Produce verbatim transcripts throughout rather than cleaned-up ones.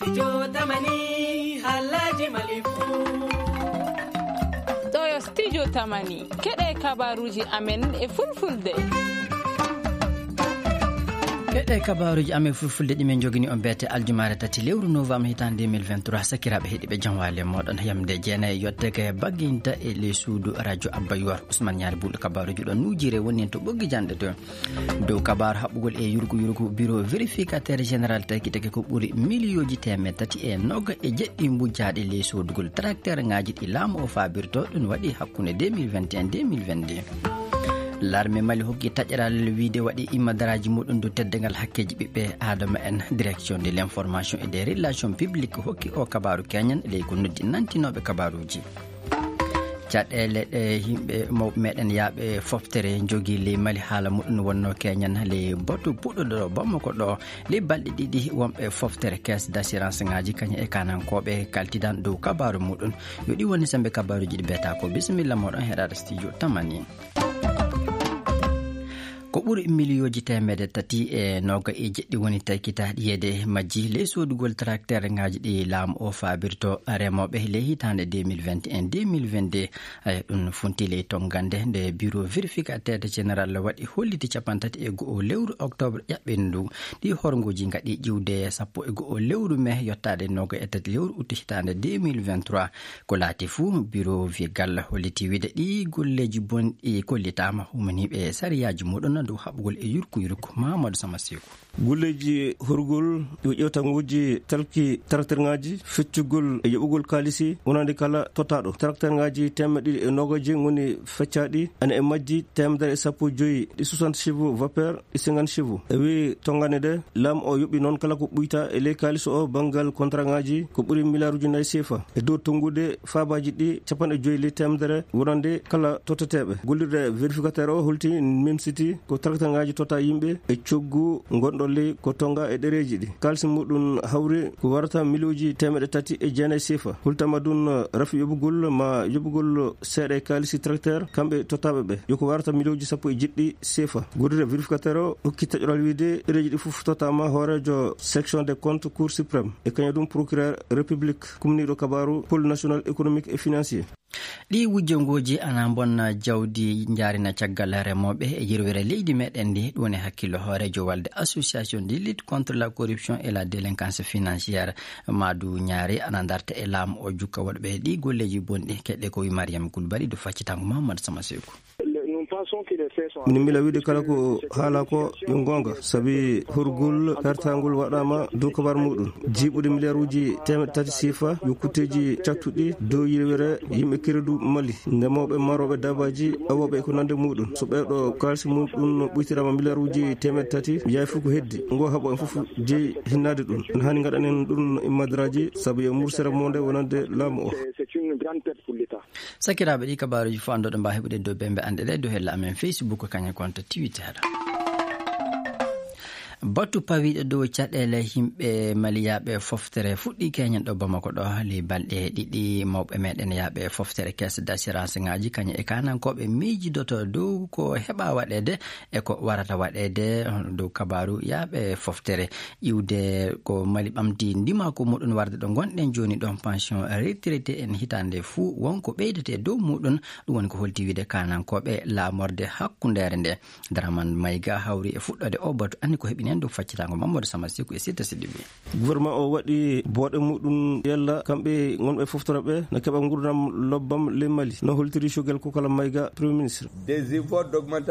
Studio Tamani, Halaji Malifu. Ɗo yo Studio Tamani, keɗe kabaruji amen e fulfulde. Keɗe kabaruji amen fulfulde ɗi min jogini on beete aljumaare tati lewru novembre hitaande deux mille vingt-trois. Sakiraaɓe heɗiiɓe, jam waali e mooɗon. Yamde jeenayi yotteke bagginta e ley suudu radio Abba Yuwar. Ousmane Ñaari Buuɗo kabaruji ɗo nuujire woni en to ɓoggi janɗe to. Dow kabaaru haɓɓugol e yurgu yurgu, bureau vérificateur général tagi tagi ko ɓuri miliyooji teemeɗɗe tati e noga e jeɗɗi mbujjaaɗi ley soodugol tracteur ŋaaji ɗi laamu o faabirto. Ɗum waɗi hakkunde deux mille vingt et un, deux mille vingt-deux. L'armée Mali hokki taƴeral wiide waɗi immadaraaji muɗum dow teddungal hakkeeji ɓiɓɓe aadama en. Direction de l'information et des relations publiques hokki o kabaaru keñan ley ko noddi nantinooɓe kabaaruuji. Caɗeele ɗe yimɓe mawɓe meɗen yaaɓe foftere jogii ley Mali, haala muɗum wonno keñan ley batu puɗɗuɗo ɗo Bamako ɗo. Ley balɗe ɗiɗi wonɓe foftere caisse d'assurance ŋaaji kañum e kanankooɓe kaltidan dow kabaaru muɗum. Yo ɗi woni sembe kabaaruji ɗi beeta ko. Bisimilla moɗon heɗaɗo studio Tamani. Ko ɓuri miliyooji teemeɗɗe tati e noga e jeɗɗi woni taykitaaɗi yeede majji ley soodugol tracteur ŋaaji ɗi laamu o faabirto remooɓe ley hitaande deux mille vingt et un, deux mille vingt-deux. Eyi, ɗum funti ley tonngande nde bureau vérificateur général waɗi holliti capanɗe tati e go'o lewru octobre ƴaɓɓindu. Ɗi horngooji ngaɗi ƴiwde sappo e go'o lewru mai yottaade noga e tati lewru août hitaande deux mille vingt-trois. Ko laati fuu, bureau vigal holliti wiide ɗi golleeji bonɗi kollitaama humaniiɓe sariyaaji muɗum dow haɓugol e yurku yurku. Mahamadou Sama Seeku. Golleeji horgol yo ƴeewtanguuji talki tracteur ŋaaji, feccugol e yoɓugol kaalisi wonande kala tottaaɗo. Tracteur ŋaaji teemeɗɗe ɗiɗi e noogaaji ngoni feccaaɗi, ene e majji teemedere e sappo e joyi ɗi soixante chevaux vapeur e cinquante chevaux. E wii tonngane ɗe, laamu o yoɓi noon kala ko ɓuyta e ley kaalis o banngal contrat ŋaaji ko ɓuri miliyaaruuji nayi seefa. E dow tonngude faabaaji ɗi capanɗe joyi ley teemedere wonande kala totteteeɓe. Gollirde vérificateur o holti memsiti ko tracteur ŋaaji totta yimɓe e coggu ngonɗo ley ko tonnga e ɗereeji ɗi. Kaalisi muɗum hawri ko warata miliyooji teemeɗɗe tati e jeenayi seefa. Hultama ɗum rafi yoɓugol ma yoɓugol seeɗa e kaalisi tracteur kamɓe tottaaɓe ɓe. Yo ko warata miliyooji sappo e jeɗɗi seefa. Gollirde vérificateur o hokki taƴoral wiide ɗereeji ɗi fof tottama hooreejo section des comptes Cour suprême. E kañum ɗum procureur république kumniiɗo kabaaru pôle national économique et financier. Ɗi wujjongooji ana mbonna jawdi njaarina caggal remooɓe e yirwere leydi meɗen ndi. Ɗum woni hakkillo hooreejo walde association de lutte contre la corruption et la délinquance financière. Maadu ñaari ana darta e laamu o jukka waɗuɓe ɗi golleeji bonɗi. Keɗe ko wi Mariam Kulbali do faccitango Mahamadou Sama Seeku. Min mbila wiide kala ko haala ko yo goonga, sabi hurgol pertangol waɗaama dow kabar muɗum. Jiiɓude miliyaaruuji teemeɗɗe tati siifa yo kutteeji cattuɗi dow yirwere yimɓe keredu Mali, ndemooɓe, marooɓe daabaaji, awooɓe e ko nande muɗum. So ɓeeɗo kaalisi muɗum ɓuytiraama miliyaaruuji teemeɗɗe tati, yaay fof ko heddi. Ngo haɓo en fof jeyi hinnaade ɗum. En haani ngaɗanen ɗum immadraaji, sabu yo mursere monde wonande laamu o. Sakiraaɓe, ɗi kabaaruuji fof annduɗo mbaa heɓude dow bembe anɗe ɗe dow hella amen Facebook, kañum konto Twitter. Batu pawiiɗo dow caɗeele yimɓe maliyaaɓe foftere fuɗɗi keñen ɗo Bamako ɗo. Ley balɗe ɗiɗi mawɓe meɗen yaaɓe foftere caisse d'assurance ŋaaji kañum e kanankooɓe miijidoto dow ko heɓa waɗeede e ko warata waɗeede dow kabaaru yaaɓe foftere. Iwde ko Mali ɓamti ndimaaku muɗum warde ɗo ngonɗen jooni ɗon, pension retraité en hitaande fuu wonko ɓeydete dow muɗum. Ɗum woni ko holti wiide kanankooɓe laamorde hakkundeere nde. Daraman Mayga hawri e fuɗɗoode o batu, anni ko heɓi nen dow faccitango Mamadou Sama Seku e Sitta Sidibé. Gouvernement o waɗi booɗe muɗum yalla kamɓe ngonɓe foftoro ɓe no keɓa ngurdam lobbam ley Mali, no holtiri Choguel Kokala Mayga, Premier Ministre.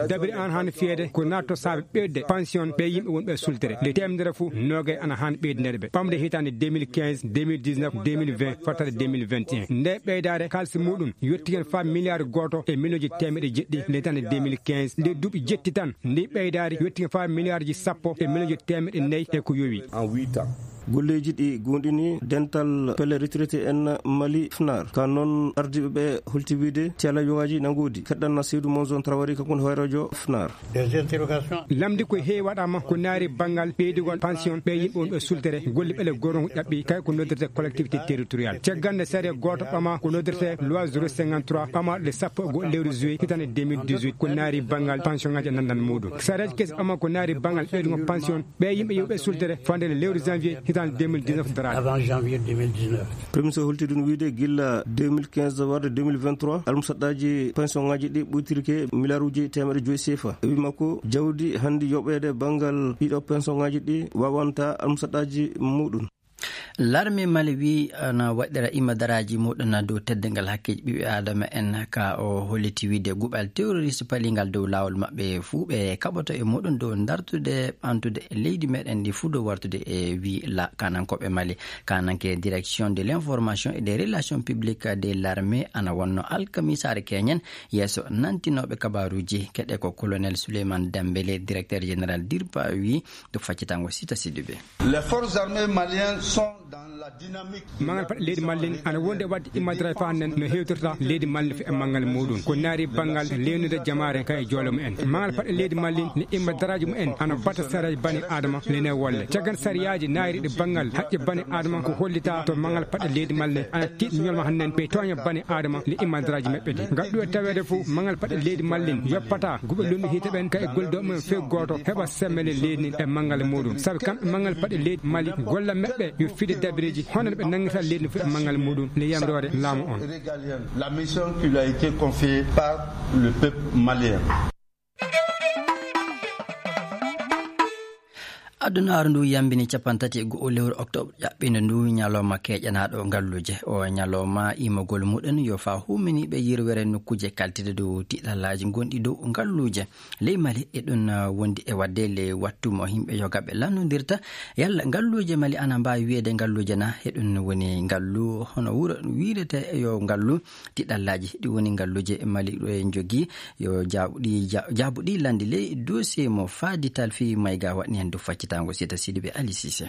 Dabiri an hano fiyede ko natto saabe ɓeyde pension ɓe yimɓe wonɓe e sultere. Nde temedere fof nogay ana han ɓeydinede ɓe. Ɓamde hitande deux mille quinze, deux mille dix-neuf, deux mille vingt, fottade deux mille vingt et un. Nde ɓeydaare kaalisi muɗum yettigen fa milliard goto e miliyonji temeɗe jeɗɗi nde hitande deux mille quinze. Nde duuɓi jetti tan, ndi ɓeydaari yettigen fa milliardji sappo e miliyonji temeɗe nayi e ko yowi. En huit ans. Golleeji ɗi goonɗini dental pelle retraité en Mali, fnar. Ka noon ardiiɓe ɓe holti wiide tela yowaaji na ngoodi. Keɗɗanna Seydou Monzon Traoré, kanko woni hooreejo fnar. Lamdi ko heewi waɗaama ko naari banngal ɓeydugol pension ɓe yimɓe wonɓe sultere, golle ɓele gooto ko ƴaɓɓi, kay ko noddirte collectivité territoriale. Caggal nde sariya gooto ɓama ko noddirte loi zéro cinquante-trois ɓamaaɗo nde sappo e go'o lewru juillet hitande deux mille dix-huit, ko naari banngal pension ŋaaji e nanndal muɗum. Sariyaji kesi ɓama ko naari banngal ɓeydugol pension ɓe yimɓe yewɓe sultere fande nde lewru janvier Dans deux mille dix-neuf daraaɗo. Avant janvier deux mille dix-neuf. Premier ministre holti ɗum wiyde gilla deux mille quinze warde deux mille vingt-trois, almusaɗɗaaji pension ŋaaji ɗi ɓuytirke miliyaaruuji teemeɗe joyi sefa. E wi makko, jawdi hannde yoɓeede banngal ɗiɗo pension ŋaaji ɗi wawanta almusaɗɗaaji muɗum. Larme Mali wi ana waɗira imadaraaji muɗum dow teddungal hakkeeji ɓiɓɓe Aadama en, ka o holliti wiyde guɓal terroriste palingal dow laawol maɓɓe fuu ɓe kaɓoto e muɗum dow dartude ɓantude leydi meɗen ndi fuu dow wartude e wi la kanankooɓe Mali. Kananke direction de l'information et des relations publiques de l'armée ana wonno alkamisaare keñen yeeso nantinooɓe kabaaruuji. Keɗe ko colonel Souleymane Dembélé, directeur général dirpa wi to faccitango Sita Sidibé. Les forces armées maliennes sont dans la dynamique. Maŋal paɗe leydi Mali ana wondi e waɗde immadiral faa nen no hewtirta leydi Mali fi e maŋal muɗum. Ko naari banngal leynude jamaare ka e joole mumen. Maŋal paɗe leydi Mali ne imma daraaji mumen ana bata sariyaaji bani Adama lene wolle. Caggan sariyaaji naariɗi banngal haqqe bani Adama ko hollita to maŋal paɗe leydi Mali ana tiiɗi ñolma hannen ɓe tooña bani Adama le imma daraaji maɓɓe ɗi. Ngal ɗuwe taweede fof maŋal paɗe leydi Mali yoppata guɓe lombi hiite ɓen ka e gollido mumen few gooto heɓa semmele leydi ndin e maŋal muɗum. Sabi kamɓe maŋal paɗe leydi Mali golla maɓɓe yo fiide dabireeji hono no ɓe nanngirta leydi ndin fof e maŋal muɗum le yamroore laamu on. La mission qui lui a été confiée par le peuple malien. Adunaaru ndu yambini capanɗe tati e go'o lewru oktoobar ƴaɓɓiinde ndu ñalawma keeƴanaaɗo ngalluuje. O ñalawma iimagol muɗum yo faa huuminiiɓe yirwere nokkuuje kaltide dow tiiɗallaaji gonɗi dow ngalluuje. Ley Mali e ɗum, ah, wondi e waɗde le wattu mo yimɓe yogaaɓe lannondirta. Yalla ngalluuje Mali ana mbaawi wiyeede ngalluuje na? E ɗum woni ngallu hono wuro wiyetee yo ngallu tiiɗallaaji. Ɗi woni ngalluuje Mali ɗo en njogii. Yo jaabuɗi, ja-, jaabuɗi landi ley dossier mo Fadi Talfi Mayga waɗni hen dow faccitaango Sita Sidibé Ali Cissé.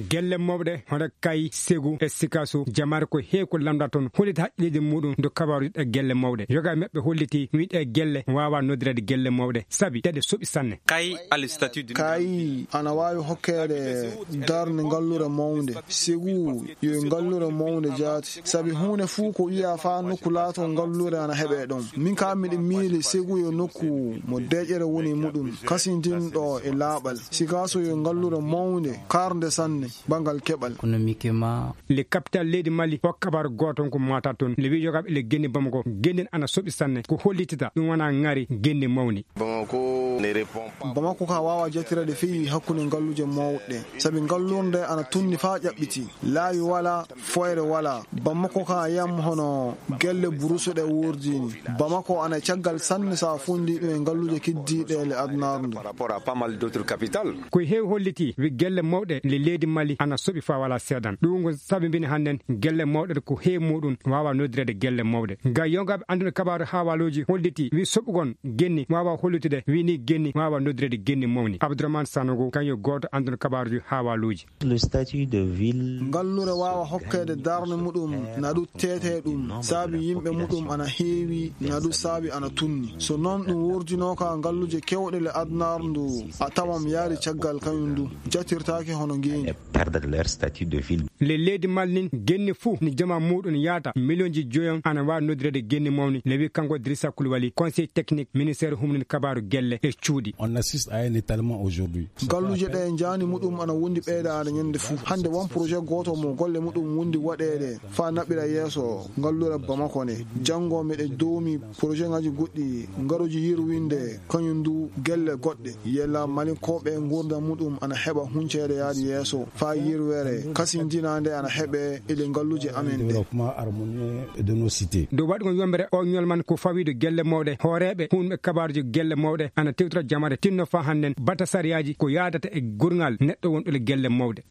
Gelle mawɗe hono Kay, Segu e Sikaso, jamaare ko heewi ko lamndaa toon, holliti haqqilleeji muɗum dow kabaaruuji ɗe gelle mawɗe. Yoga maɓɓe holliti wi ɗe gelle waawa noddireede gelle mawɗe, sabi ɗe ɗe soɓi sanne. Kay a le statut de Kay ana waawi hokkeede darnde ngallure mawnde. Segu yo ngallure mawnde jaati, sabi huunde fuu ko wiyaa faa nokku laatoo ngallure ana heɓee ɗon. Min kaa miɗo miili Segu yo nokku mo deeƴere woni e muɗum, kasintinɗo e laaɓal. Sikaso yo ngallure mawnde, karnde sanne, banngal keɓal. Économiquement. Le capital leydi Mali hokka kabaaru gooto ko maata toon. Le wi yogaaɓe le genni Bamako, genni ana soɓi sanne. Ko hollitita ɗum wona ŋari genni mawni. Bamako ne répond pas. Bamako ka waawa jattireede feyi hakkunde ngalluuje mawɗe, sabi ngallurde ana tunni faa ƴaɓɓiti. Laawi wala, foyre wala. Bamako ka yam hono gelle burusuɗe wurdini. Bamako ana caggal sanne sa fondi ɗum e ngalluuje kiddiiɗe le adunaaru ndu. Par rapport à pas mal d'autres capitales. Ko heewi holliti wi gelle mawɗe le leydi Mali ana soɓi faa wala seedan. Ɗum ko sabi mbini hannden gelle mawɗe ko heewi muɗum waawa noddireede gelle mawɗe. Ga yogaaɓe annduɓe kabaaru haawaaluuji holliti wi soɓugol genni waawa hollitude wi ni genni waawa noddireede genni mawni. Abdourahmane Sanogo kañum gooto annduɗo kabaaruuji haawaaluuji. Le statut de ville. Ngallure waawa hokkeede darnde muɗum na ɗum teetee ɗum, saabi yimɓe muɗum ana heewi, na ɗum saabi ana tunni. So noon ɗum wurdinooka ngalluuje kewɗe le adunaaru ndu, a tawan yaari caggal kañum ndu, jattirtaake hono ngeeni. Perdre leur statut de ville. Le leydi Mali nin genni fuu ni jama muɗum yaata miliyonji joyon ana waawi noddireede genni mawni, le wi kanko Idrissa Koulibaly, conseil technique ministère humnin kabaaru gelle e cuuɗi. On assiste à un étalement aujourd'hui. Ngalluuje ɗe njaani muɗum ana wondi ɓeydaade ñande fuu. Hannde won projet gooto mo golle muɗum wondi waɗeede faa naɓira yeeso ngallure Bamako nde. Janngo miɗe doomi projet ŋaaji goɗɗi ngaruji yirwinde kañum ndu gelle goɗɗe. Yella Malinkooɓe nguurndam muɗum ana heɓa hunceede yaade yeeso faa yirwere kasindinaande ana heɓe e le ngalluuje amen ɗe. Développement harmonieux de nos cités. Dow waɗugol yombere o ñolman ko fawiiɗo gelle mawɗe, hooreeɓe huunɓe kabaaruuji gelle mawɗe ana tewtira jamaare tinno faa hannden bata sariyaaji ko yaadata e gurngal neɗɗo wonɗo le gelle mawɗe.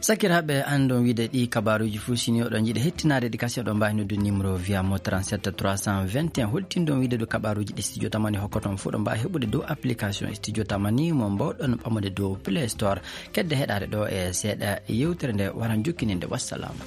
Sakiraaɓe, an ɗon wiide ɗi kabaaruuji fuu, sini oɗon njiɗi hettinaade ɗi kasi, oɗon mbaawi noddude numéro via mo trente-sept trois cent vingt et un. Holtin ɗon wiide ɗo kabaaruuji ɗi Studio Tamani hokkata on fuu, ɗon mbaawi heɓude dow application Studio Tamani mo mbaawɗon ɓamude dow Play Store. Kedde heɗaade ɗo e seeɗa yewtere nde waran jokkininde. Wassalaamu.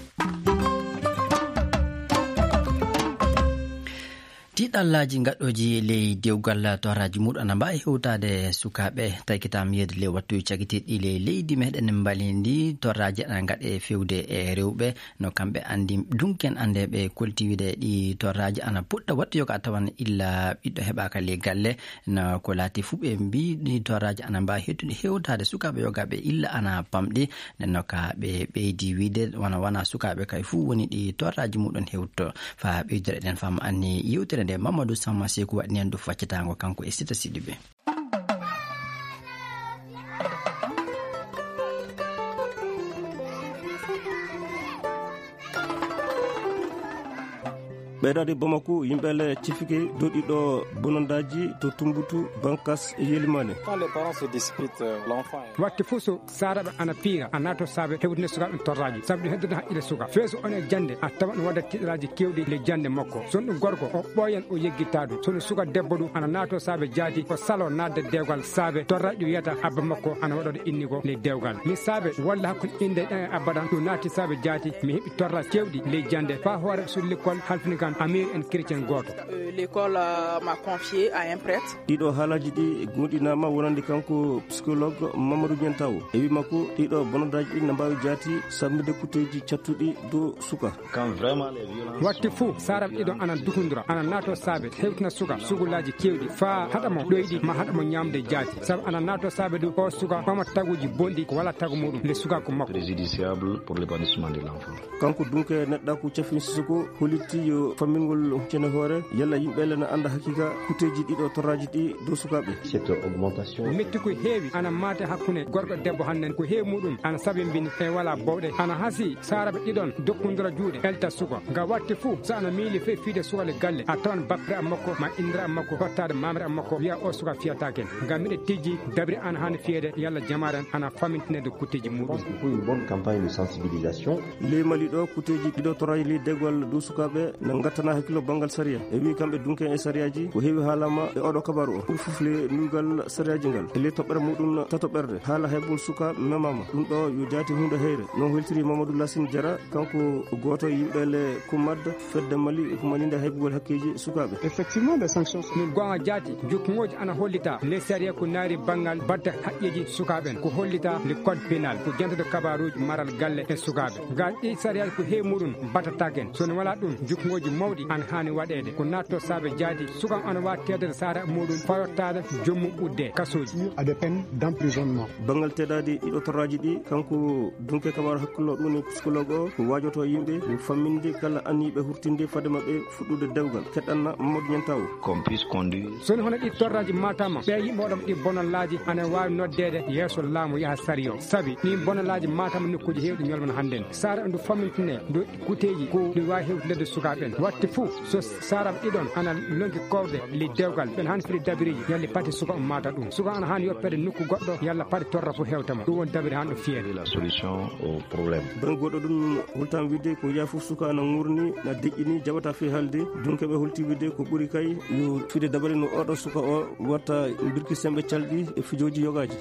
Ɗiɗallaaji gaɗɗooji ley dewgal torraaji muɗum ana mbaawi hewtaade sukaaɓe. Taykitaama yeeyde ley wattuuji cagitiiɗi ley leydi meɗen Mali ndi, torraaji ana ngaɗe fewde e rewɓe. No kamɓe anndi, dunken anndeeɓe kolti wiide ɗi torraaji ana puɗɗa wattu yoga tawan illa ɓiɗɗo heɓaaka ley galle. No ko laati fuu ɓe mbii ɗi torraaji ana mbaawi hewtude hewtaade sukaaɓe yogaaɓe illa ana pamɗi. Nden no ka ɓe ɓeydi wiide wona, wona sukaaɓe kay fuu woni ɗi torraaji muɗum hewto. Faa ɓeydira eɗen fam anni yewtere nde Mamadou Samma Seku waɗani en ɗum faccitaango kanko e Sita Sidibe. Ɓeydaade Bamako, yimɓe le cifike doɗiɗo bonondaaji to Tumbutu, Bankas e Yelimane. Quand les parents se disputent, euh, l'enfant est Watte fof so saaraɓe ana piira, a naato saabe hewtinde sukaaɓe torraaji, sabu ɗum heddoto haqqille suka. Feeso on e jannde, a tawan ɗum wadda tiɗalaaji keewɗi le jannde makko. So ɗum gorko, o ɓooyan o yeggitta ɗum. So ɗum suka debbo ɗum, ana naato saabe jaati, o salo naatde dewgal saabe torraaji ɗum wiyata abba makko ana waɗoɗo inni ko le dewgal. Mi saabe walla hakkunde innde ɗen e abba ɗan, ɗum naati saabe jaati, mi heɓi torraaji keewɗi le jannde. Faa hoore suudu lekkol halfini kan amiir en chrétien gooto. Euh, l'école, euh, m'a confié à un prêtre. Ɗiɗo haalaaji ɗi goonɗinaama wonande kanko psychologue Mamadou Niantawo. E wii makko, ɗiɗo bonondaaji ɗi na mbaawi jaati samminde kutteeji cattuɗi dow suka. Quand vraiment les violences Watte sont fof, saaraɓe ɗiɗo ana dukundura, ana naato saabe, hewtina suka, sugulaaji keewɗi, faa haɗa mo ɗoyɗi, ma haɗa mo ñaamde jaati. Sabu ana naato saabe ɗum, o suka, ɓama taguuji bonɗi, ko wala tagu muɗum, le suka ko makko. Préjudiciable pour l'épanouissement de l'enfant. Kanko dunke neɗɗa ko Cafin Sissoko hollitti yo fammingol huccene hoore, yalla yimɓe le na annda hakiika kutteeji ɗiɗo torraaji ɗi dow sukaaɓe. Cette augmentation Metti ko heewi ana maate hakkunde gorko e debbo hannden, ko heewi muɗum ana sabimbini e wala bowɗe, ana hasi saaraɓe ɗiɗon dokkundura juuɗe, elta suka. Nga watte fuu, so ana miili fe fiide suka le galle, a tawan bappere am makko, ma indira am makko, hottaade mamre am makko, wiya o suka fiyataake. Ngam miɗe tijji, dabri an haani fiyeede, yalla jamaaren ana famintinede kutteeji muɗum. Je pense qu'il faut une bonne campagne de sensibilisation. Ley Mali ɗo, kutteeji ɗiɗo torraaji ley dewgal dow sukaaɓe na ngattana hakkillo banngal sariya. E wii kamɓe dunke e sariyaaji, ko heewi haalaama e oɗo kabaaru o. Ɓuri fof le nuygal sariyaaji ngal. E ley toɓɓere muɗum tatoɓerde, haala heɓgol suka memaama. Ɗum ɗo yo jaati huunde heyre. Noon holtiri Mamadou Lassine Diarra, kanko gooto e yimɓe le Kumad, fedde Mali, ko malinde heɓgol hakkeeji sukaaɓe. Effectivement, les sanctions sont Min goonga jaati, jukkuŋooji ana hollita, les sariya ko naari banngal badda haqqeeji sukaaɓe en. Ko hollita le code pénal, ko jantata kabaaruuji maral galle e sukaaɓe. Ngal ɗi sariyaaji ko heewi muɗum battataake en. So ne wala ɗum, jukkuŋooji mawɗi ana haani waɗeede. Ko naatto saabe jaati, suka ana waawi teddade saara muɗum, fayottaade jommu ɓudde kasooji. À des peines d'emprisonnement. Banngal teddaaɗi ɗiɗo torraaji ɗi, kanko dunke kabaaru hakkillo ɗum ni psychologue o, ko waajoto yimɓe, ko famminde kala anniiɓe hurtinde fade maɓɓe fuɗɗude dewgal. Keɗɗanna Mamadou Niantawo. Qu'on puisse conduire. So ne hono ɗi torraaji maataama, ɓe yimɓe waɗama ɗi bonallaaji ana waawi noddeede yeeso laamu yaha sariyo. Sabi ɗin bonallaaji maataama nokkuuji heewɗi ñolmana hannden. Saara ndu fammintine, ndu kuteeji ko ɗi waawi hewtinde sukaaɓe en. Watte fof, so saara ɗiɗon ana lonki kowde le dewgal, ɓen han firi dabiriji, yalli pati suka on maata ɗum. Suka ana han yoppede nokku goɗɗo, yalla pati torra fof hewtama. Ɗum woni dabiri han ɗo fiyeede. La solution au problème. Bannge goɗɗo ɗum, holtam wiide ko yaa fof suka ana ŋurni, na deƴƴini, jaɓata fii haalde. Dunkeɓe holti wiide ko ɓuri kay yo fiide dabare no oɗo suka o watta birki semɓe calɗi e fijooji yogaaji.